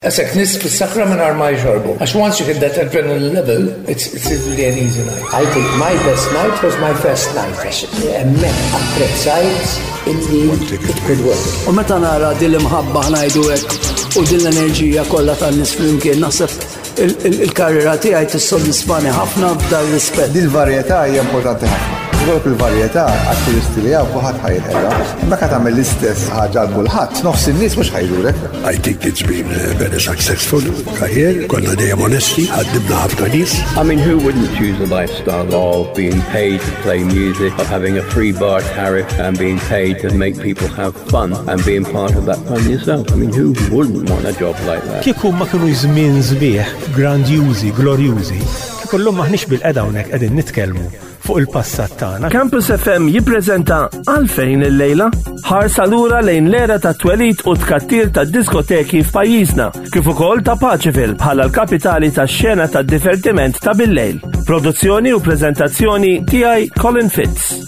Għasek nis fis-sakra minn ma jxorbu. Għax once you hit that adrenaline level, it's, it's really an easy night. I think my best night was my first night. Għax hemmhekk apprezzajt illi it could work. U meta nara din l-imħabba ngħidu hekk u din l-enerġija kollha tan-nies flimkien naħseb il-karriera tiegħi tissodisfani ħafna f'dan rispett. Dil-varjetà hija importanti ħafna. Ikollok il-varjetà għat-turisti li hawn kulħadd ħa jinqeda. Imma ka tagħmel l-istess ħaġa għal kulħadd, nofs in-nies mhux ħa jżurek. I think it's been a very successful career. Konna dejjem onesti, ħaddimna ħafna nies. I mean, who wouldn't choose a lifestyle of being paid to play music, of having a free bar tariff and being paid to make people have fun and being part of that fun yourself? I mean, who wouldn't want a job like that? Kieku ma kienu żmien sbieħ, grandjużi, glorjużi, kieku llum maħniex bil-qeda hawnhekk qegħdin nitkellmu fuq il-passat tagħna. Campus FM jippreżenta Għalfejn illejla ħarsa lura lejn l-era ta' twelid u tkattir ta' diskoteki f'pajjiżna, kif ukoll ta' Paċeville bħala l-kapitali tax-xena tad-divertiment ta' billejl. Produzzjoni u preżentazzjoni tiegħi Colin Fitz.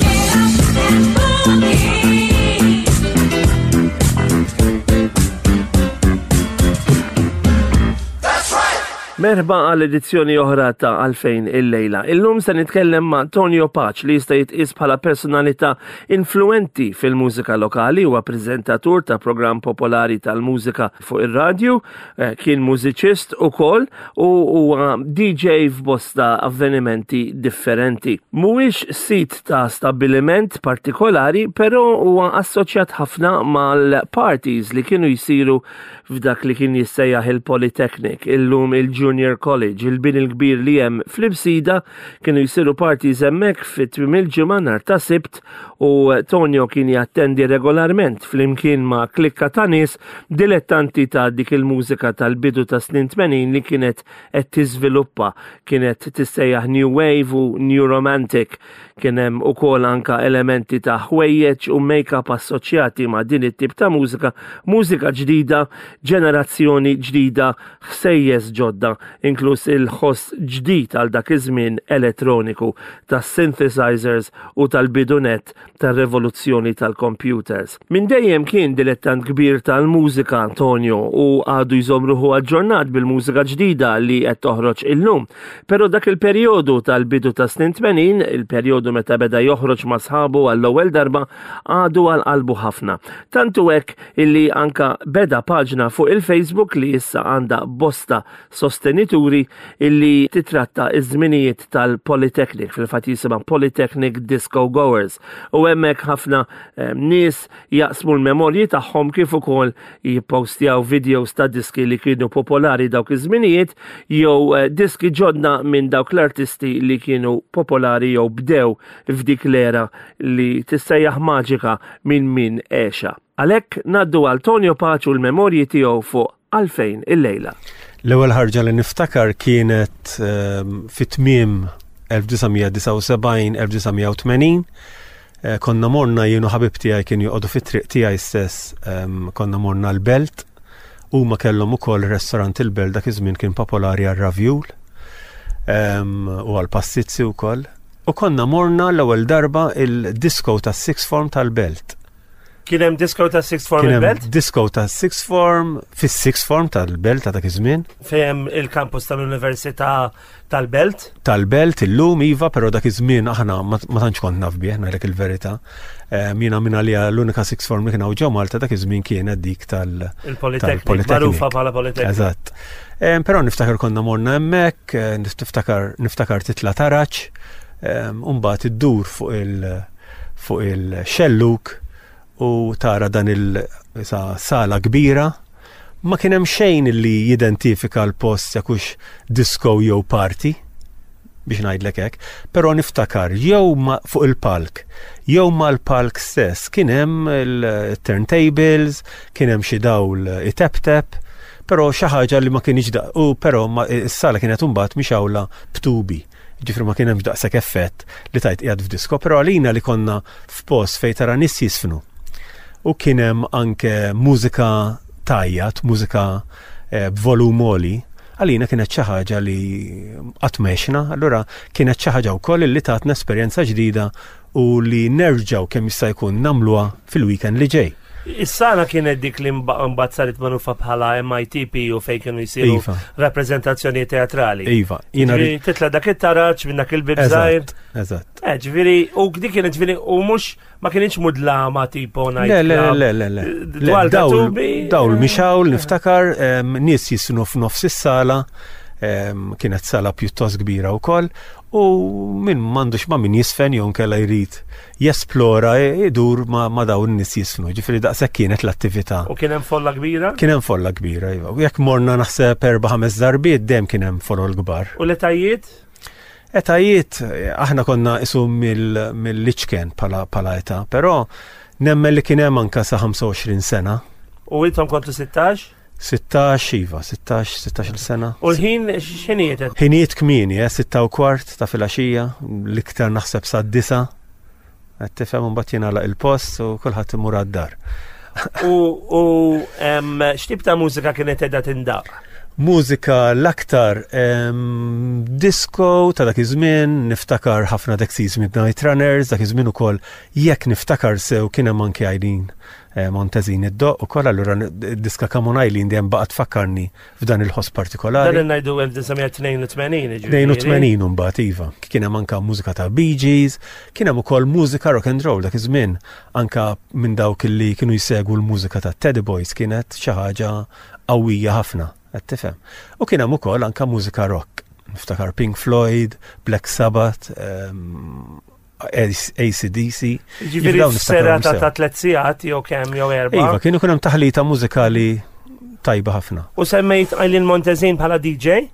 Merħba għal edizzjoni oħra ta' Għalfejn illejla. Illum se nitkellem ma' Tonio Pace li jista' jitqies bħala personalità influenti fil-mużika lokali, huwa preżentatur ta' programm popolari tal-mużika fuq ir-radju, eh, kien mużiċist ukoll u huwa DJ f'bosta avvenimenti differenti. Mhuwiex sit ta' stabbiliment partikolari, però huwa assoċjat ħafna mal-parties li kienu jsiru f'dak li kien jissejjaħ il-Polytechnic, illum il-Junior College, il-bini l-kbir li hemm fl-Imsida, kienu jsiru parties hemmhekk fi tmiem il-ġimgħa nhar ta' Sibt u Tonio kien jattendi regolarment flimkien ma' klikka ta' nies dilettanti ta' dik il-mużika tal-bidu ta' snin 80 li kienet qed tiżviluppa, kienet tissejjaħ New Wave u New Romantic. Kien hemm ukoll anka elementi ta' ħwejjeġ u make-up assoċjati ma' din it-tip ta' mużika, mużika ġdida, ġenerazzjoni ġdida, ħsejjes ġodda, inkluż il-ħoss ġdid għal dak iż-żmien elettroniku tas-synthesizers u tal-bidu nett tar-revoluzzjoni tal-computers. Minn dejjem kien dilettant kbir tal-mużika Antonio u għadu jżomm ruħu aġġornat bil-mużika ġdida li qed toħroġ illum. Però dak il-perjodu tal-bidu ta' snin 80, il-perjodu meta beda joħroġ ma' sħabu għall-ewwel darba, għadu għal qalbu ħafna. Tant hu hekk illi anka beda paġna fuq il-Facebook li issa għandha bosta sostenituri illi titratta iż-żminijiet tal-Polytechnic, fil-fatt jisimha Polytechnic Disco Goers. U hemmhekk ħafna eh, nies jaqsmu l-memorji tagħhom kif ukoll jippostjaw videos ta' diski li kienu popolari dawk iż-żminijiet jew eh, diski ġodda minn dawk l-artisti li kienu popolari jew bdew f'dik l-era li tissejjaħ maġika minn min għexa. Għalhekk ngħaddu għal Tonio Pace u l-memorji tiegħu fuq Għalfejn illejla. L-ewwel ħarġa li niftakar kienet ehm, fit-tmiem 1979-1980. Eh, konna morna jien u ħabib tiegħi kien joqogħdu fit-triq tiegħi stess, ehm, konna morna l-Belt. Huma kellhom ukoll restorant il-Belt dak iż-żmien kien popolari għar-ravjul ehm, u għall-pastizzi wkoll. U konna morna l-ewwel darba il-disco tas-sixth form tal-Belt. Kien hemm disco ta' sixth form il-belt? Disco ta' sixth form, fis-sixth form tal-belt ta' dak iż-żmien. Fejn il-kampus tal-Università tal-Belt? Tal-Belt illum iva, però dak iż-żmien aħna ma tantx kont naf bih, ngħidlek il-verità. Ehm, jiena minn għalija l-unika sixth form li kien hawn ġew Malta dak iż-żmien kienet dik tal- Il-Polytechnic, magħrufa bħala Polytechnic. Eżatt. Ehm, però niftakar konna morna hemmhekk, eh, niftakar niftakar titla' taraġ, ehm, u mbagħad iddur fuq il- fuq il-xellug u tara dan il-sala kbira. Ma kien hemm xejn li jidentifika l-post jekk hux disco jew party biex ngħidlek hekk, però niftakar jew fuq il-palk, jew mal-palk stess kien hemm il-turntables, kien hemm xi dawl iteptep, però xi ħaġa li ma kienx u però s-sala kienet imbagħad mixgħula b'tubi. Ġifri ma kien hemmx daqshekk effett li tajt qiegħed f'disko, però għalina li konna f'post fejn tara nies jisfnu. U kien hemm anke mużika tajjat, mużika eh, b'volum għoli, għalina kienet xi ħaġa li qatt m'għexna, allura kienet xi ħaġa wkoll li tatna esperjenza ġdida u li nerġgħu kemm jista' jkun nagħmluha fil-weekend li ġej. Is-sala kienet dik li mbagħad saret magħrufa bħala MITP u fejn kienu jsiru iva. rappreżentazzjoni teatrali. Iva, jiena titla' dak it-taraġ minn dak il-bib żgħir. Eżatt. Eh, ġifieri u dik kienet ġifieri u mhux ma kienx mudlama tipo ngħid. Le, le, le, le, le. Dwar dawl, dawl mixawl niftakar nies jisnu f'nofs is-sala kienet sala pjuttost kbira wkoll u min m'għandux ma' min jisfen jew nkella jrid jesplora idur ma' dawn in-nies jisfnu. Ġifieri daqshekk kienet l-attività. U kien hemm folla kbira? Kien hemm folla kbira, iva. U jekk morna naħseb erba' ħames darbiet dejjem kien hemm folol kbar. U l-etajiet? Etajiet, aħna konna isu mill-iċken bħala età, però nemmen li kien hemm anka sa 25 sena. U intom kontu 16? 16, iva, 16, 16 sena. U l-ħin x'ħinijiet? Ħinijiet kmieni, eh, 6 u kwart ta' filgħaxija, l-iktar naħseb sa' disa. Qed tifhem imbagħad jingħalaq il-post u kulħadd imur għad-dar. U x'tip ta' mużika kienet qiegħda tindaq? Mużika l-aktar disco ta' dak iż-żmien, niftakar ħafna Dexys Midnight Runners, dak iż-żmien ukoll jekk niftakar sew kien hemm anke Eileen eh, Montezin id-doq ukoll allura diska Come on Eileen dejjem baqgħet tfakkarni f'dan il-ħoss partikolari. Dan ngħidu 1982 82 mbagħad iva. Kien hemm anke mużika ta' Bee Gees, kien hemm ukoll mużika rock and roll dak iż-żmien anke minn dawk li kienu jsegwu l-mużika ta' Teddy Boys kienet xi ħaġa qawwija ħafna, qed tifhem. U kien hemm ukoll anke mużika rock. Niftakar Pink Floyd, Black Sabbath, ehm, ACDC. Ġifieri serata ta' tliet sigħat jew kemm jew erba'. Iva, kienu kien hemm taħlita mużikali tajba ħafna. U semmejt Eileen Montezin bħala DJ?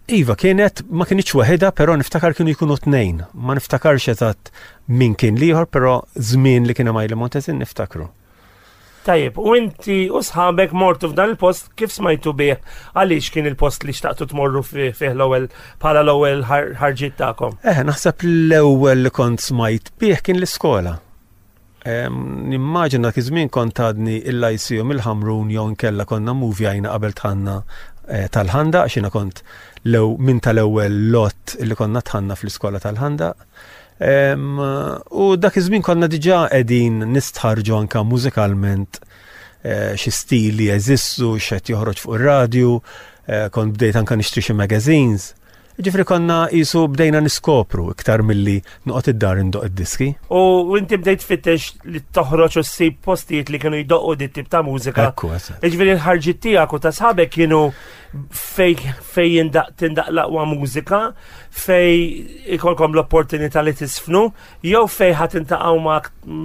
Iva, kienet, ma kienx waħedha, però niftakar kienu jkunu tnejn. Ma niftakarx eżatt min kien liħor, però żmien li kien hemm Eileen Montezin niftakru. Tajjeb, u inti u sħabek mortu f'dan il-post kif smajtu bih għaliex kien il-post li xtaqtu tmorru fih l-ewwel bħala l-ewwel ħarġiet tagħkom? Eh, naħseb l-ewwel li kont smajt bih kien l-iskola. Nimmaġina dak iż-żmien kont għadni il-ICU mill-Ħamrun jew inkella konna muvjajna qabel tħanna eh, tal-ħanda għax jiena kont minn tal-ewwel lot li konna tħanna fl-iskola tal-ħanda. U dak iż-żmien konna diġà qegħdin nistħarġu anka mużikalment eh, xi stili jeżistu, x'qed joħroġ fuq ir-radju, eh, kont bdejt anka nixtri xi magazines. Ġifri konna jisu bdejna niskopru iktar milli noqgħod id-dar indoq id-diski. U inti bdejt tfittex li toħroġ u ssib postijiet li kienu jdoqqu dit tip ta' mużika. Ekku, Ġifieri l-ħarġiet tiegħek u ta' sħabek kienu fej fej tindaq l-aqwa mużika, fej ikolkom l-opportunità li tisfnu, jew fej ħat intaqgħu ma'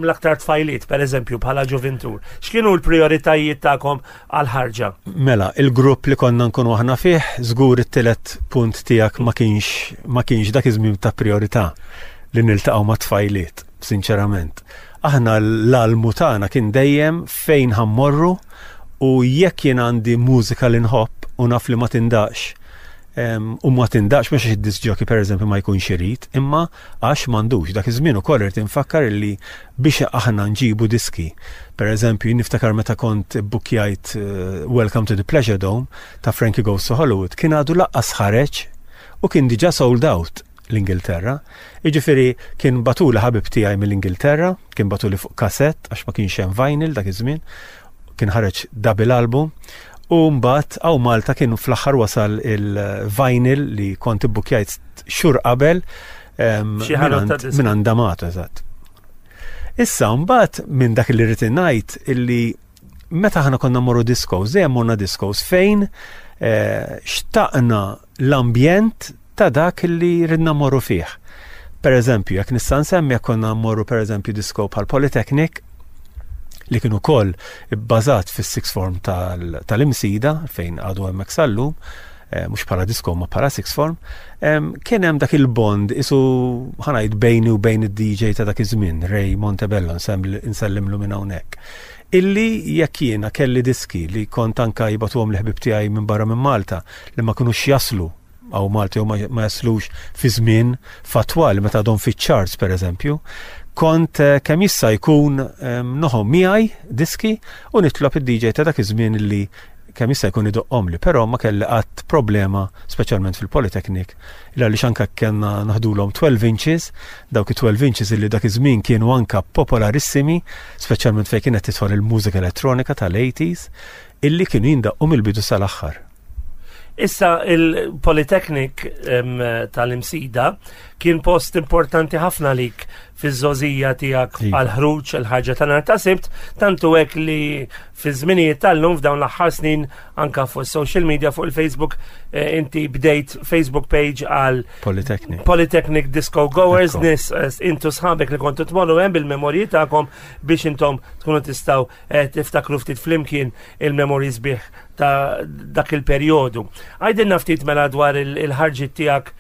l-aktar tfajliet, per eżempju, bħala ġuvintur. X'kienu l-prioritajiet tagħkom għal-ħarġa? Mela, il-grupp li konna nkunu aħna fih, żgur it-tielet punt tiegħek ma kienx ma kienx dak iż-żmien ta' priorità li niltaqgħu ma' tfajliet, sinċerament. Aħna l-almu tagħna kien dejjem fejn ħammorru U jekk jien għandi mużika li nħobb u naf li ma tindaqx, u ma tindaqx mhux għax id-disc jockey pereżempju ma jkunx irid, imma għax m'għandux. Dak iż-żmien ukoll irid infakkar illi biex aħna nġibu diski. Pereżempju, jien niftakar meta kont bbukkjajt eh, Welcome to the Pleasure Dome ta' Frankie Goes to Hollywood, kien għadu laqqas ħareġ u kien diġà sold out l-Ingilterra. Jiġifieri kien bagħtuli ħabib tiegħi mill-Ingilterra, kien bagħtuli fuq kasett għax ma kienx hemm vinyl dak iż-żmien, kien ħareġ double album u mbagħad hawn Malta kien fl-aħħar wasal il-vinyl li kont ibbukjajt xhur qabel minn Andamato, eżatt. Issa mbagħad minn dak li rrid ngħid illi meta aħna konna morru discos, dejjem morna discos fejn eh, xtaqna l-ambjent ta' dak li ridna morru fih. Per eżempju, jekk nista' nsemmi jekk konna mmorru per eżempju disco bħal Polytechnic, li kienu koll bbażat fis-sixth form tal-Imsida fejn għadu hemmhekk sallum, eh, mhux bħala disco ma bħala sixth form, kien hemm dak il-bond isu ħanajt bejni u bejn id-DJ ta' dak iż-żmien, Ray Montebello nsellimlu minn hawnhekk. Illi jekk jiena kelli diski li kont anka jibatuhom li ħbib tiegħi minn barra minn Malta li ma kinux jaslu hawn Malta jew ma jaslux fi żmien fatwali meta għadhom fiċ-charts pereżempju, kont eh, kemm jista' jkun ehm, noħom miegħi diski u nitlob id-DJ ta' dak iż-żmien li kemm jista' jkun idoqqhomli, però ma kelli qatt problema, speċjalment fil-Polytechnic, il għaliex anke kellna naħdulhom 12 inches, dawk it-12 inches illi dak iż-żmien kienu anke popolarissimi, speċjalment fejn kienet tidħol il-mużika elettronika tal-80s, illi kienu jindaqqu mill-bidu sal-aħħar. Issa il-Polytechnic tal-Imsida kien post importanti ħafna lik fiż-żożija tiegħek iva. għal-ħruġ il-ħarġa ta' nhar ta' Sibt, tantu hekk li fi żminijiet tal-lum f'dawn l-aħħar snin anka fuq social media fuq il-Facebook eh, inti bdejt Facebook page għal Polytechnic. Polytechnic Disco Goers nis eh, intu sħabek li kontu tmorru hemm bil-memorji tagħkom biex intom tkunu tistgħu eh, tiftakru ftit flimkien il-memorji sbieħ ta' dak il-perjodu. Għajdilna ftit mela dwar il-ħarġit tiegħek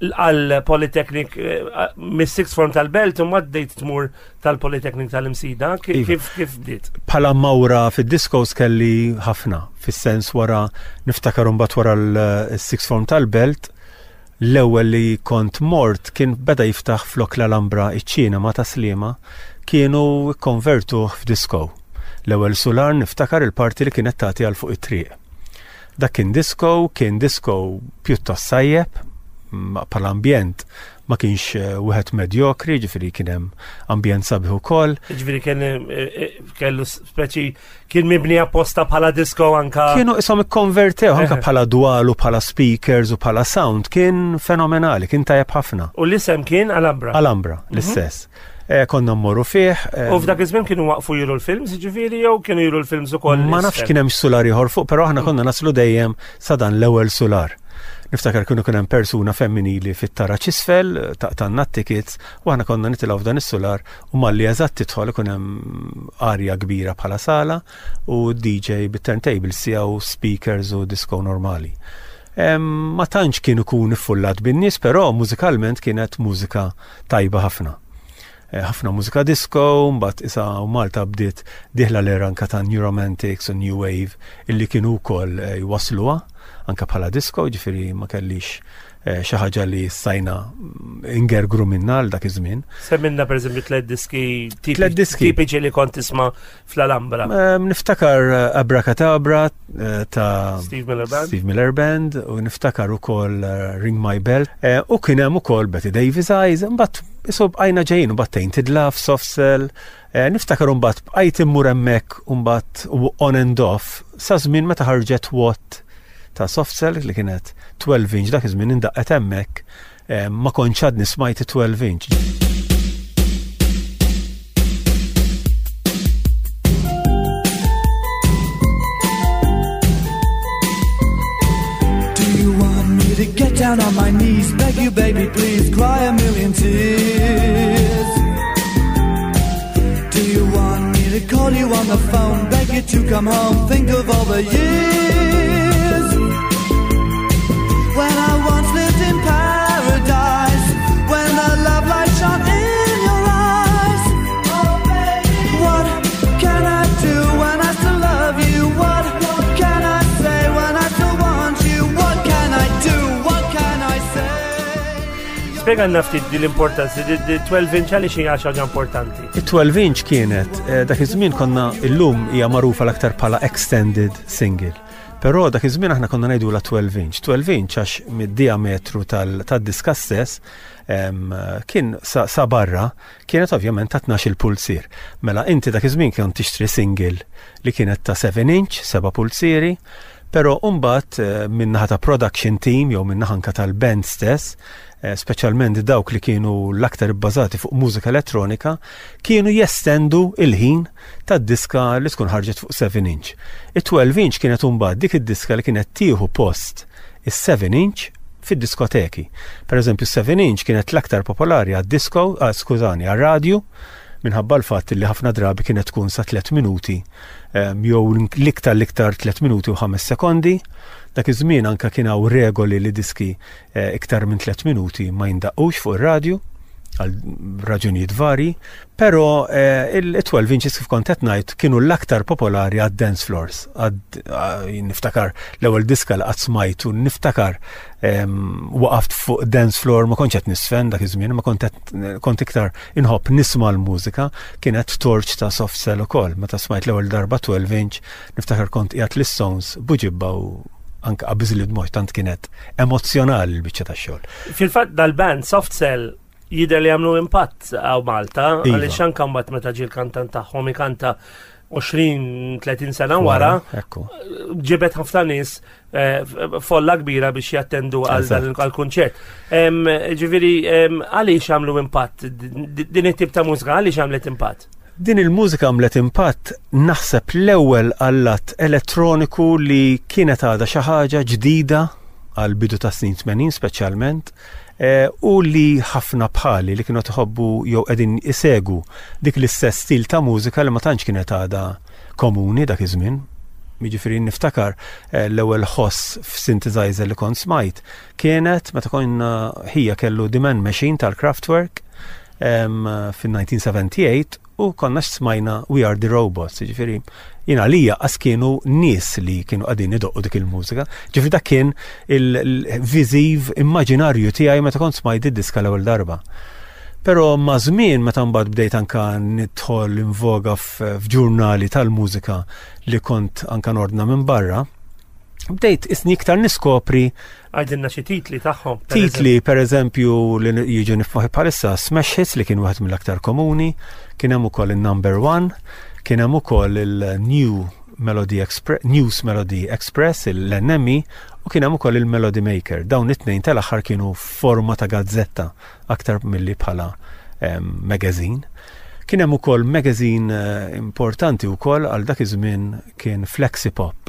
għal Polytechnic eh, mis-sixth form tal-Belt u maddejt tmur tal-Polytechnic tal-Imsida, iva. kif kif bdiet? Bħala mawra fid-diskos kelli ħafna, fis-sens wara niftakar mbagħad wara l-sixth form tal-Belt, L-ewwel li kont mort kien beda jiftaħ flok l-Alhambra iċ-ċinema ta' Sliema kienu kkonvertuh f'disco. L-ewwel sular niftakar il-parti li kienet tagħti għal fuq it-triq. Dak kien disco, kien disco pjuttost sajjeb, bħala ambjent ma kienx eh, wieħed medjokri, ġifieri kien hemm ambjent sabiħ ukoll. Ġifieri kien eh, eh, kellu speċi Kien mibni apposta bħala disco anka. Kienu isom ikkonvertew anka bħala dwal u bħala speakers u bħala sound kien fenomenali, kien tajjeb ħafna. U l-isem kien Alhambra. Alhambra, mhm. l-istess. Eh, konna mmorru fih. Eh, u f'dak iż-żmien kienu waqfu jiru l-films, ġifieri jew kienu jiru l-films ukoll. Ma nafx kien hemm sular ieħor fuq, però aħna konna naslu dejjem sa dan l-ewwel sular. Niftakar kienu kien hemm persuna femminili fit-taraġ isfel, taqtanna t-tickets, u aħna konna nitilgħu f'dan is-sular U malli eżatt tidħol ikun hemm arja kbira bħala sala u DJ bit-turntables tiegħu, speakers u disco normali. Ma tantx kien ikun iffullat bin-nies, però mużikalment kienet mużika tajba ħafna. Eh, ħafna mużika disco, mbagħad isa u Malta bdiet diħla l-era anka ta' New Romantics u New Wave illi kienu wkoll eh, jwasluha anka bħala disco, ġifieri ma kellix Eh, xi ħaġa li stajna ingergru minna għal dak iż-żmien. Semminna pereżempju tliet diski tliet diski tipiċi li kont tisma' fl-Alhambra. Niftakar eh, Abracadabra eh, ta' Steve Miller Band. Steve Miller Band u niftakar ukoll Ring My Bell u kien hemm ukoll Betty Davis Eyes, imbagħad isu bqajna ġejjin u mbagħad Tainted Love, Soft Cell, niftakar imbagħad bqajt immur hemmhekk imbagħad on and off sa żmien meta ħarġet What ta' soft cell li kienet 12 inch dak iż-żmien indaqqet hemmhekk eh, ma kontx għadni smajt 12 inch. Do you want me to get down on my knees, beg you baby please, cry a million tears? Do you want me to call you on the phone, beg you to come home, think of all the years When I once lived in paradise, when the love light shone in your eyes Oh baby, what can I do when I still love you? What can I say when I still want you? What can I do? What can I say? Spjegalna ftit din l-importanza, di 12 inch għaliex hija xi ħaġa importanti. It-12 inch kienet, eh, dak iż-żmien konna illum hija magħrufa l-aktar bħala extended single. Però dak iż-żmien aħna konna ngħidula 12 inch. 12 inch għax mid-diametru tad-diska stess kien sa, sa barra kienet ovvjament ta' 12 il-pulzier. Mela inti dak iż-żmien kien tixtri single li kienet ta' 7 inch, 7 pulzieri, però mbagħad eh, min-naħa ta' production team jew min-naħa anka tal-band stess, eh, speċjalment dawk li kienu l-aktar ibbażati fuq mużika elettronika, kienu jestendu il-ħin tad-diska li tkun ħarġet fuq 7 inch. It-12 inch kienet imbagħad dik id-diska li kienet tieħu post is-7 inch fid-diskoteki. Per eżempju, 7 inch kienet l-aktar popolari għad-disco, ah, skużani, għar-radju, minħabba l-fatt li ħafna drabi kienet tkun sa 3 minuti ehm, jew l-iktar l-iktar 3 minuti u 5 sekondi. Dak iż-żmien anka kien hawn regoli li diski eh, iktar minn 3 minuti ma jindaqqux fuq ir-radju. għal raġunijiet vari, però eh, il-12 inches kif kont qed ngħid kienu l-aktar popolari għad dance floors. Għad eh, niftakar l-ewwel diska li qatt smajt u niftakar ehm, waqaft fuq dance floor ma kontx qed nisfen dak iż-żmien, ma kont kont iktar inħobb nisma' l-mużika, kienet torch ta' soft cell ukoll. Meta smajt l-ewwel darba 12 inch, niftakar kont qiegħed l-Stones buġibba u anke qabiż li dmoj tant kienet emozzjonali l-biċċa tax-xogħol. Fil-fatt dal-band Soft Cell jidher li għamlu impatt għaw Malta, iva. għaliex anke mbagħad meta ġie l-kantant tagħhom ikanta 20-30 sena wara, ġibet ħafna nies eh, folla kbira biex jattendu għal dan il-kunċert. Ġifieri għaliex għamlu impatt? Din it-tip ta' mużika għaliex għamlet impatt? Din il-mużika għamlet impatt naħseb l-ewwel għall-att elettroniku li kienet għadha xi ħaġa ġdida għal bidu ta' snin 80 speċjalment eh, u li ħafna bħali li kienu tħobbu jew qegħdin isegu dik l-istess stil ta' mużika li ma tantx kienet għadha komuni dak iż-żmien. Jiġifieri niftakar eh, l-ewwel ħoss f'synthesizer li kont smajt kienet meta konna ħija kellu The Man Machine tal-Kraftwerk fin-1978 u konna smajna We Are The Robots, ġifiri, jina lija qas kienu nies li kienu qegħdin idoqqu dik il-mużika. Ġifiri dak kien il-viżiv immaġinarju tiegħi meta kont smajt id-diska l-ewwel darba. Però ma' żmien meta mbagħad bdejt anka nidħol invoga f'ġurnali tal-mużika li kont anka nordna minn barra, bdejt isni iktar niskopri Għajdilna xi titli tagħhom. Titli, per eżempju, li jiġu nifmoħi bħalissa Smash Hits li kien wieħed mill-aktar komuni, kien hemm ukoll il-Number One, kien hemm ukoll il-New Melody Express, News Melody Express, l-NME, u kien hemm ukoll il-Melody Maker. Dawn it-tnejn tal-aħħar kienu forma ta' gazzetta aktar milli bħala ehm, magazine. Kien hemm ukoll magazine eh, importanti wkoll għal dak iż-żmien kien Flexipop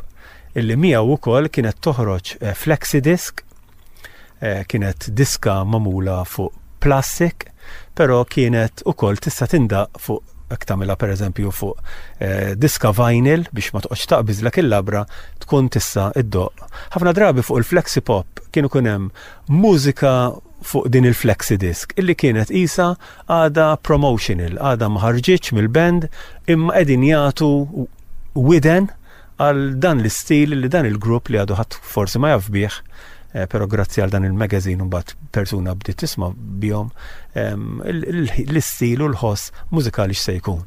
illi miegħu wkoll kienet toħroġ eh, flexi disc, eh, kienet diska magħmula fuq plastic, però kienet ukoll tista' tindaq fuq jekk tagħmilha pereżempju fuq eh, diska vinyl biex ma toqgħodx taqbiżlek il-labra tkun tista' iddoq. Ħafna drabi fuq il-flexi pop kienu kun hemm mużika fuq din il-flexi disc illi kienet isa għada promotional, għada ma ħarġitx mill-band imma qegħdin jagħtu widen għal dan l-istil li dan il-grupp li għadu ħadd forsi ma jaf bih, eh, però grazzi għal dan il-magazine mbagħad persuna bdiet tisma' bihom ehm, l-istil u l-ħoss mużikali x'se jkun.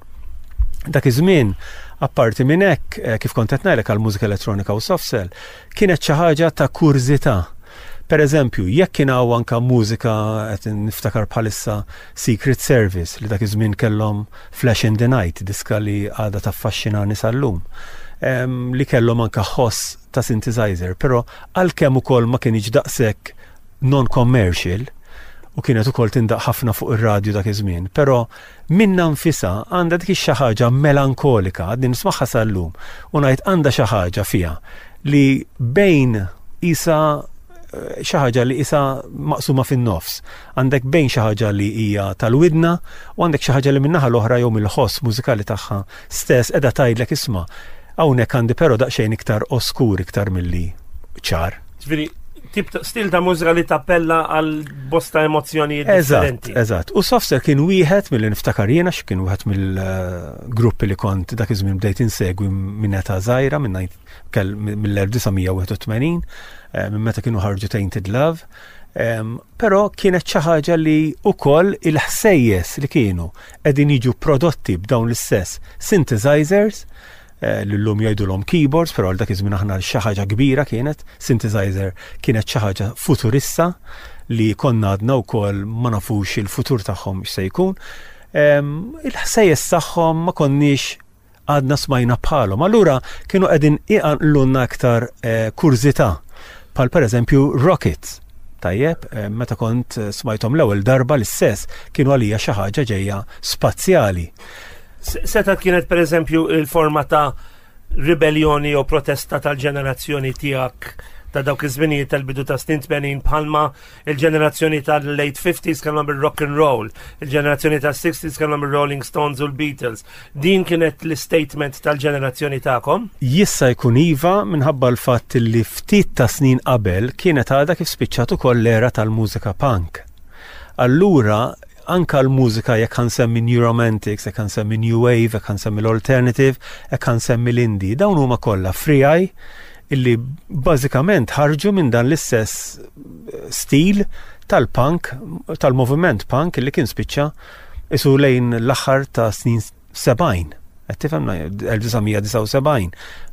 Dak iż-żmien, apparti minn hekk, eh, kif kont qed ngħidlek għal mużika elettronika u soft cell, kienet xi ħaġa ta' kurżità. Per eżempju, jekk kien hawn anka mużika qed niftakar bħalissa Secret Service li dak iż-żmien kellhom Flash in the Night, diska li għadha taffaxxinani sal-lum, li kellhom anka ħoss ta' synthesizer, però għalkemm ukoll ma kienx daqshekk non-commercial u kienet ukoll tindaq ħafna fuq ir-radju dak iż-żmien, però minnha nfisha għandha dik xi ħaġa melankolika, għadni nismagħha sal-lum u ngħid għandha xi ħaġa fiha li bejn isa xi ħaġa li isa maqsuma fin-nofs. Għandek bejn xi ħaġa li hija tal-widna u għandek xi ħaġa li min-naħa l-oħra jew mill-ħoss mużikali tagħha stess qiegħda tgħidlek isma' hawnhekk għandi però daqsxejn iktar oskur iktar milli ċar. Ġifieri tip ta' stil ta' mużika li tappella għal bosta emozzjonijiet differenti. Eżatt, U Softer kien wieħed mill niftakar jiena kien wieħed mill-gruppi li kont dak iż-żmien bdejt insegwi minn età żgħira minn mill-1981 eh, minn meta kienu ħarġu Tainted Love. Però kienet xi ħaġa li wkoll il-ħsejjes li kienu qegħdin jiġu prodotti b'dawn l-istess synthesizers eh, li llum jgħidulhom keyboards, però għal dak iż-żmien aħna xi ħaġa kbira kienet, synthesizer kienet xi ħaġa futurista li konna għadna wkoll ma nafux il-futur tagħhom x'se jkun. Il-ħsejjes tagħhom ma konniex għadna smajna bħalhom. Allura kienu qegħdin iqanqlulna aktar eh, kurżità bħal pereżempju Rockets. Tajjeb, eh, meta kont eh, smajthom l-ewwel darba l-istess kienu għalija xi ħaġa ġejja spazjali. Seta kienet pereżempju il-forma ta' ribellioni jew protesta tal-ġenerazzjoni tiegħek ta' dawk iż-żminijiet tal-bidu ta' snin 80 bħalma Il-ġenerazzjoni tal-late 50s kellhom il-rock and roll, il-ġenerazzjoni tas-60s kellhom il-Rolling Stones u l-Beatles. Din kienet l-statement tal-ġenerazzjoni tagħkom? Jista' jkun iva minħabba l-fatt li ftit ta' snin qabel kienet għadha kif spiċċat ukoll l-era tal-mużika punk. Allura anka l-mużika jekk ħansemmi New Romantics, jekk ħansemmi New Wave, jekk ħansemmi l-Alternative, jekk ħansemmi l-Indie, dawn huma kollha frijaj illi bażikament ħarġu minn dan l-istess eh, stil tal-punk, tal-moviment punk illi kien spiċċa isu lejn l-aħħar ta' snin 70. Qed tifhem 1979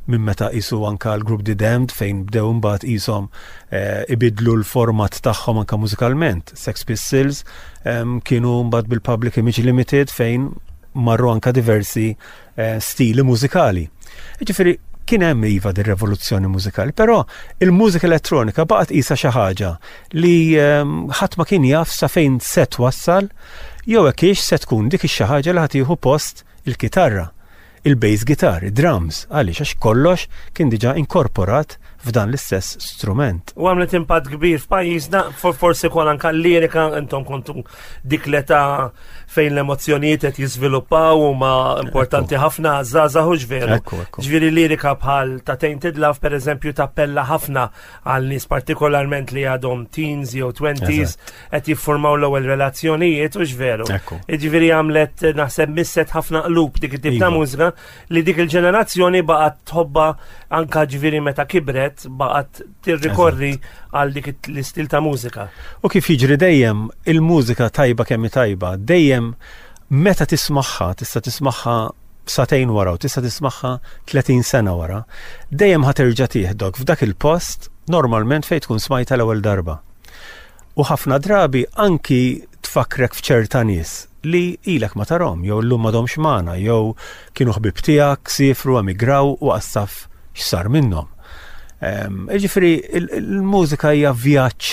minn meta qisu anka l-grupp The Damned fejn bdew imbagħad qishom eh, ibidlu l-format tagħhom anka mużikalment. Sex Pistols kienu mbagħad bil-Public Image Limited fejn marru anka diversi eh, stili mużikali. Ġifieri kien hemm iva din revoluzzjoni mużikali, però il-mużika elettronika baqgħet qisha xi ħaġa li ħadd ma kien jaf sa fejn se twassal jew hekk hix se tkun dik ix-xi ħaġa li ħa tieħu post il-kitarra, il-bass guitar, id-drums, għaliex għax kollox kien diġà inkorporat f'dan l-istess strument. U għamlet impatt kbir f'pajjiżna, forsi kol anka l-lirika, intom kontu dik l-età fejn l-emozzjonijiet qed jiżviluppaw huma importanti ħafna żgħażagħ hux veru. Ġifieri lirika bħal ta' Tainted Love pereżempju tappella ħafna għal nies partikolarment li għadhom teens jew twenties qed jiffurmaw l-ewwel relazzjonijiet u veru. Jiġifieri għamlet naħseb misset ħafna qlub dik it-tip ta' iva. mużika li dik il-ġenerazzjoni baqgħet tħobba anka ġifieri meta kibret baqgħet tirrikorri għal dik l-istil ta' mużika. U kif jiġri dejjem il-mużika tajba kemm tajba, dejjem meta tismagħha tista' tismagħha satejn wara u tista' tismagħha 30 sena wara, dejjem ħa terġa' tieħdok f'dak il-post normalment fejn tkun smajta l-ewwel darba. U ħafna drabi anki tfakkrek f'ċerta nies li ilek ma tarhom jew illum m'għadhomx magħna jew kienu ħbieb tiegħek, siefru, emigraw u qas taf x'sar minnhom. Ehm, jiġifieri il-mużika hija vjaġġ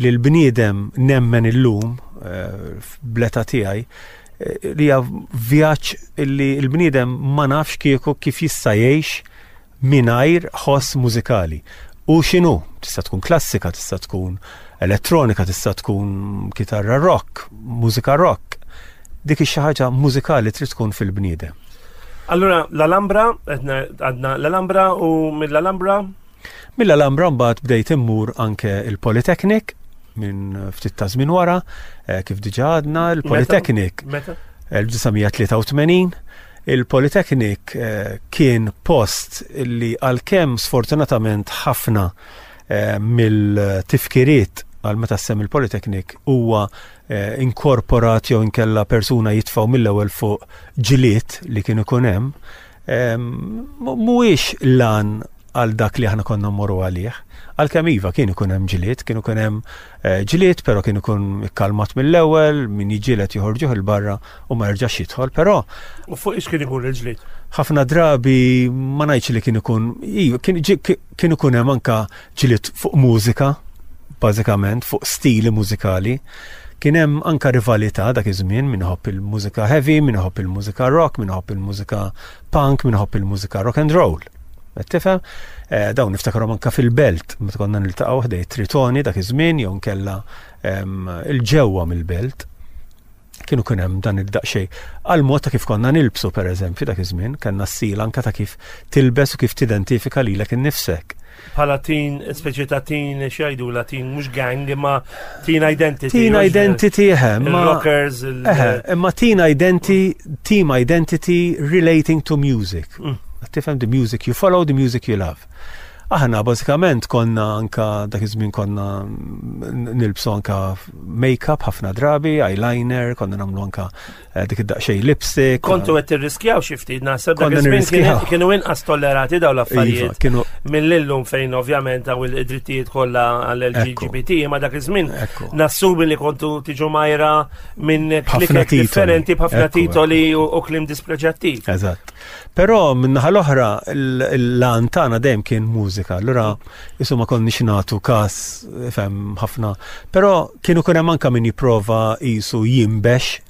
li l-bniedem nemmen illum eh, bl-età tiegħi eh, li hija vjaġġ li l-bniedem ma nafx kieku kif jista' jgħix mingħajr ħoss mużikali. U x'inhu? Tista' tkun klassika, tista' tkun elettronika, tista' tkun kitarra rock, mużika rock. Dik ix ħaġa mużikali trid tkun fil-bniedem. Allura l-Alhambra, għadna l-Alhambra u mill-Alhambra? Mill-Alhambra mbagħad bdejt immur anke il-Polytechnic minn ftit ta' żmien wara, eh, kif diġà għadna, il-Polytechnic. Meta? 1983. Il-Polytechnic eh, kien post li għalkemm sfortunatament ħafna eh, mill-tifkiriet għal meta sem il-Polytechnic huwa eh, inkorporat jew inkella persuna jitfaw mill-ewwel fuq ġiliet li kien ikun hemm, mhuwiex lan għal dak li aħna konna mmorru għalih. Għalkemm iva kien ikun hemm ġlied, kien ikun hemm eh, ġlied, però kien ikun ikkalmat mill-ewwel, min jiġieled joħorġuh il-barra u ma jerġax jidħol, però. U fuq ix kien ikun il-ġlied? Ħafna drabi ma ngħidx li kien ikun, iva, kien ikun hemm anka ġlied fuq mużika, bażikament fuq stili mużikali. Kien hemm anka rivalità dak iż-żmien min iħobb il-mużika heavy, min iħobb il-mużika rock, min iħobb il-mużika punk, min iħobb il-mużika rock and roll. Qed tifhem? Eh, dawn niftakarhom anka fil-belt, meta konna niltaqgħu ħdej Tritoni dak iż-żmien jew nkella il-ġewwa mill-belt. Kienu kien hemm dan id-daqsxejn. Għal mod ta' kif konna nilbsu pereżempju dak iż-żmien, kellna stil anka ta' kif tilbes u kif tidentifika lilek innifsek. Bħala teen, speċi ta' teen, x'jgħidu la teen, mhux gang, imma teen identity. Teen identity, eħe. Rockers. Eħe, imma teen identity, team identity relating to music. Mm. Tifhem the music you follow, the music you love. Aħna bażikament konna anka dak iż-żmien konna nilbsu anka make-up ħafna drabi, eyeliner, konna nagħmlu anka Eh, dik id-daqxej lipstick. Kontu qed tirriskjaw xi ftit naħseb dak iż-żmien kienu inqas tollerati dawn l-affarijiet. Iva, Mill-illum fejn ovvjament hawn id-drittijiet kollha għall-LGBT, ma dak iż-żmien nassumi li kontu tiġu majra minn klikek differenti b'ħafna titoli u klim dispreġattiv. Eżatt. Però min-naħa l-oħra l-għan tagħna dejjem kien mużika, allura isu ma konniex nagħtu każ fem ħafna. Però kienu kien hemm anke min jipprova qisu jinbex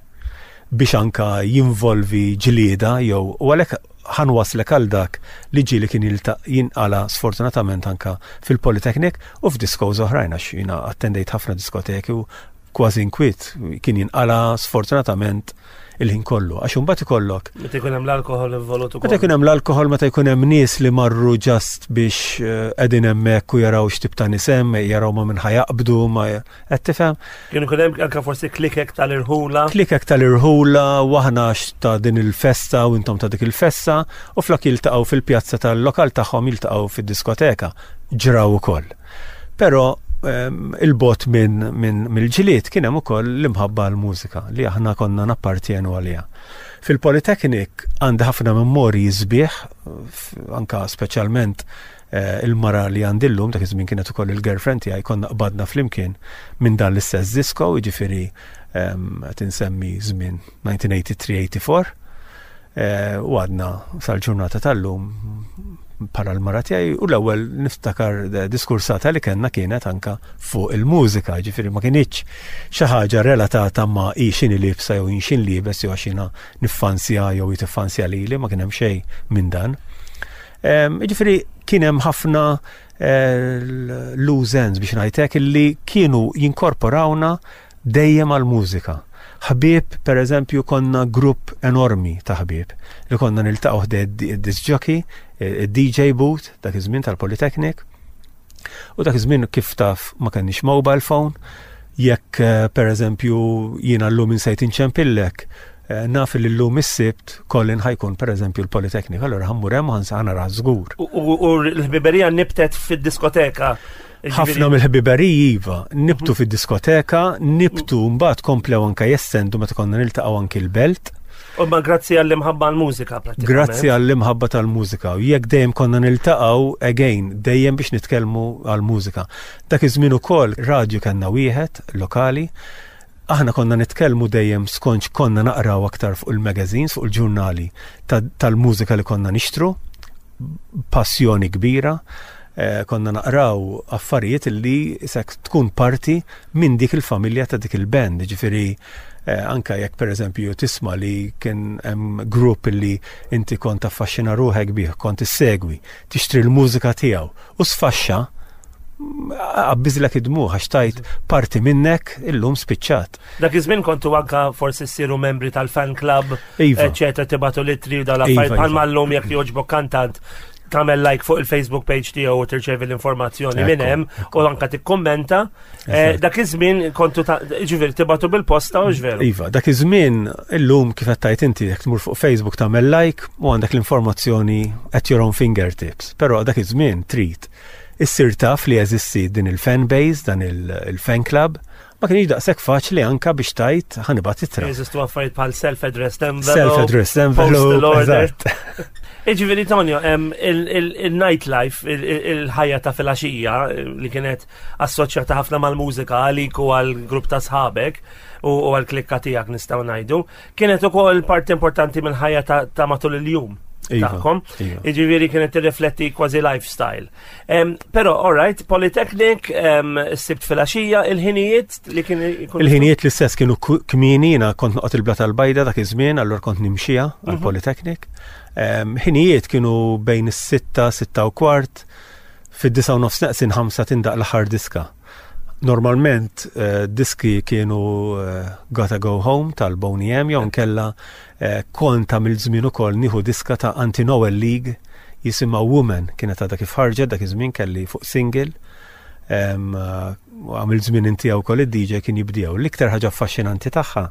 biex anka jinvolvi ġlieda jew u għalhekk ħanwaslek għal dak li ġieli kien jinqala sfortunatament anka fil-Polytechnic u f'diskos oħrajn għax jiena attendejt ħafna diskoteki u kważi inkwiet kien jinqala sfortunatament il-ħin kollu. Għax imbagħad ikollok. Meta jkun hemm l-alkoħol involut ukoll. Meta jkun hemm l-alkoħol, meta jkun hemm nies li marru ġast biex eh, qegħdin hemmhekk u jaraw x'tip ta' nies hemm, jaraw ma minn ħajaqbdu, ma qed tifhem. Kien ikun hemm anke forsi klikek tal-irħula. Klikek tal-irħula u aħna ta' din il-festa u intom ta' dik il-festa u flok jiltaqgħu fil-pjazza tal-lokal tagħhom jiltaqgħu fid-diskoteka. Ġraw ukoll. Però ehm, il-bot minn min, mill-ġilied kien hemm ukoll l-imħabba għall-mużika li aħna konna nappartjenu għaliha. Fil-Polytechnic għandi ħafna memorji sbieħ, anka speċjalment eh, il-mara li għandi llum, dak iż-żmien kienet ukoll il-girlfriend tiegħi konna qbadna flimkien minn dan l-istess disco, jiġifieri ehm, qed insemmi żmien 1983-84. Eh, u għadna sal-ġurnata tal-lum bħala l-mara tiegħi u l-ewwel niftakar diskursata li kellna kienet anka fuq il-mużika, ġifieri ma kinitx xi ħaġa relatata ma' hi x'inhi libsa jew jien libes jew għax jiena niffansja jew hi tiffansja lili, ma kien hemm xejn minn dan. Ġifieri kien hemm ħafna eh, loose ends biex ngħidlek illi kienu jinkorporawna dejjem għall-mużika. Ħbieb, per eżempju, konna grupp enormi ta' ħbieb li konna niltaqgħu ħdej id-disc jockey, id-DJ booth, dak iż-żmien tal-Polytechnic. U dak iż-żmien kif taf ma kenniex mobile phone, jekk eh, per eżempju jiena llum insejt inċempillek, eh, naf li llum is-sibt Colin ħajkun per eżempju l-Polytechnic, allura ħammur hemm ħansa nara żgur. U l-ħbiberija nibtet fid-diskoteka. Ħafna mill-ħbiberiji iva, nibtu mhm. fid-diskoteka, nibtu mbagħad komplew anke jestendu meta konna niltaqgħu anki l-belt. U ma grazzi għall-imħabba għall-mużika pratikament. Grazzi għall-imħabba tal-mużika. U jekk dejjem konna niltaqgħu again, dejjem biex nitkellmu għall-mużika. Dak iż-żmien ukoll radju kellna wieħed lokali. Aħna konna nitkellmu dejjem skont konna naqraw aktar fuq il-magazines, fuq il-ġurnali tal-mużika li konna nixtru passjoni kbira, eh, konna naqraw affarijiet li sek tkun parti minn dik il-familja ta' dik il-band, ġifiri eh, anka jekk per eżempju tisma li kien hemm grupp li inti kont affaxxina ruħek bih, kont issegwi, tixtri l-mużika tiegħu u sfaxxa għabbiżlek id-dmuħ għax tajt parti minnek illum spiċċat. Dak iż-żmien kontu anka forsi ssiru membri tal-fan club, iva. eċetera, tibatu litri u dal-affarijiet iva, bħalma iva. llum jekk jogħġbok kantant tagħmel like fuq il-Facebook page tiegħu u tirċevi l-informazzjoni minn hemm u anka tikkummenta. Eh, dak iż-żmien kontu ġifieri tibatu bil-posta u ġveru. Iva, dak iż-żmien illum kif qed tgħid inti jekk tmur fuq Facebook tagħmel like u għandek l-informazzjoni at your own fingertips. Però dak iż-żmien trid issir taf li jeżisti din il-fan base, dan il-fan club, ma kienx daqshekk faċli anka biex tajt ħanibat itra. Jeżistu affarijiet bħal self-addressed envelope. Self-addressed envelope. Iġifieri Tonio, il-nightlife, il-ħajja ta' filgħaxija li kienet assoċjata ħafna mal-mużika għalik u għal-grupp ta' sħabek u għal-klikka tiegħek nistgħu ngħidu, kienet ukoll parti importanti mill-ħajja ta' matul il-jum. Iva, tagħkom. Iva. Jiġifieri kienet tirrifletti kważi lifestyle. Però, all right, Polytechnic, sibt filgħaxija, il-ħinijiet li kien Il-ħinijiet l-istess kienu kmieni, jiena kont noqgħod il-Blat tal-Bajda dak iż-żmien, allura kont nimxija għal mhm. Polytechnic. Ħinijiet kienu bejn is-sitta, sitta u kwart, fid-disa u nofs neqsin ħamsa tindaq l-aħħar diska. Normalment eh, diski kienu eh, Gotta Go Home tal-Boney M jew nkella eh, kont għamilt żmien ukoll nieħu diska ta' Anti Noel League jisimha Woman kienet għadha kif ħarġet dak iż-żmien kelli fuq single. Għamilt żmien inti wkoll id-DJ kien jibdiew. L-iktar ħaġa affaxxinanti tagħha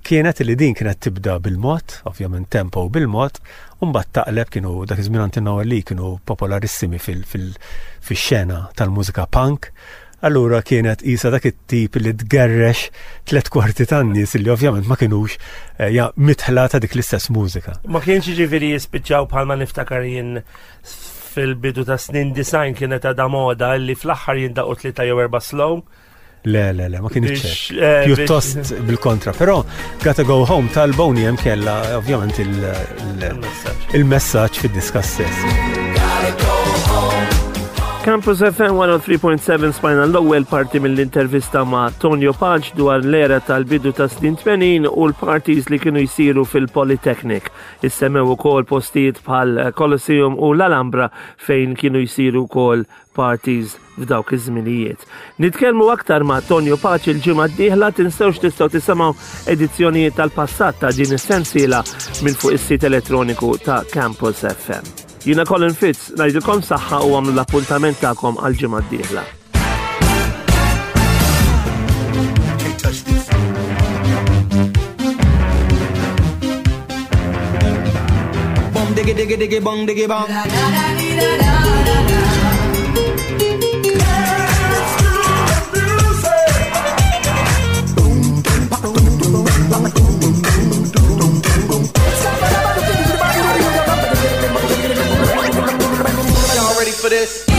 kienet li din kienet tibda bil-mod, ovvjament tempo bil-mod, u mbagħad taqleb kienu dak iż-żmien Anti Noel League kienu popolarissimi fil-xena tal-mużika punk. Allura kienet qisha dak it-tip li tgerrex tlet kwarti tan-nies li ovvjament ma kinux eh, ja, mitħla ta' dik l-istess mużika. Ma kienx jiġifieri jispiċċaw bħalma niftakar jien fil-bidu ta' snin design kienet għadha moda li fl-aħħar jindaqu tlieta jew erba' slow. Le, le, le, ma kienx hekk. Eh, Pjuttost bil-kontra, però Gotta Go Home tal-Boney hemm kella ovvjament il-messaġġ fid-diska stess. Gotta go home. Campus FM 103.7 smajna l-ewwel parti mill-intervista ma' Tonio Pace dwar l-era tal-bidu ta' snin 80 u l-parties li kienu jsiru fil-Polytechnic. Issemmew ukoll postijiet bħal Colosseum u l-Alhambra fejn kienu jsiru wkoll parties f'dawk iż-żminijiet. Nitkellmu aktar ma' Tonio Pace il-ġimgħa d-dieħla, tinsewx tistgħu tisimgħu edizzjonijiet tal-passat ta' din is-sensiela minn fuq is-sit elettroniku ta' Campus FM. Jiena Colin Fitz, ngħidilkom saħħa u għamlu l-appuntament tagħkom għall-ġimgħa d-dieħla. Diggy diggy diggy bong diggy bong. Y'all ready for this?